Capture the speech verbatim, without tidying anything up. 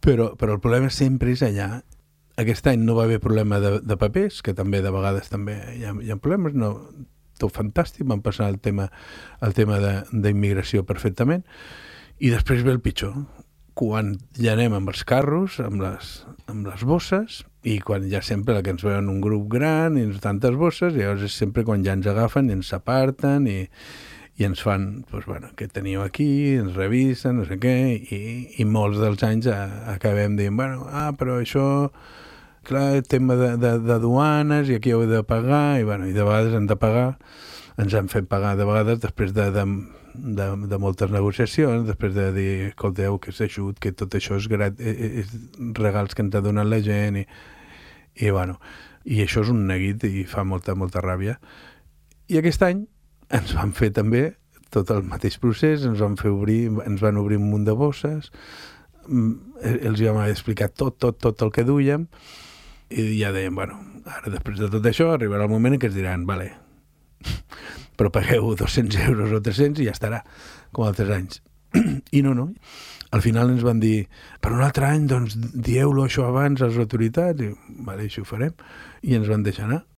Però, però el problema sempre és allà. Aquest any no va haver problema de, de papers, que també de vegades també hi ha, hi ha problemes, no, tot fantàstic, van passar el tema, el tema d'immigració perfectament, i després ve el pitjor, quan ja anem amb els carros, amb les, amb les bosses, i quan ja sempre que ens veuen un grup gran i tantes bosses, i llavors és sempre quan ja ens agafen i ens aparten i, i ens fan, doncs, bueno, què teniu aquí, ens revisen, no sé què, i, i molts dels anys a, acabem dient, bueno, ah, però això, clar, tema de, de, de duanes, i aquí heu de pagar, i, bueno, i de vegades hem de pagar, ens han fet pagar de vegades després de, de, de, de moltes negociacions, després de dir, escolteu, que s'ajut, que tot això és, grat, és regals que ens ha donat la gent, i, i bueno, i això és un neguit i fa molta, molta ràbia. I aquest any ens van fer també tot el mateix procés, ens van fer obrir, ens van obrir un munt de bosses, els vam explicar tot, tot, tot el que duíem, i ja dèiem, bueno, ara després de tot això arribarà el moment en què ens diran, vale, però pagueu dos-cents euros o tres-cents i ja estarà, com altres anys. I no, no. Al final ens van dir, per un altre any, doncs, dieu-lo això abans a les autoritats, i vale, així ho farem, i ens van deixar anar.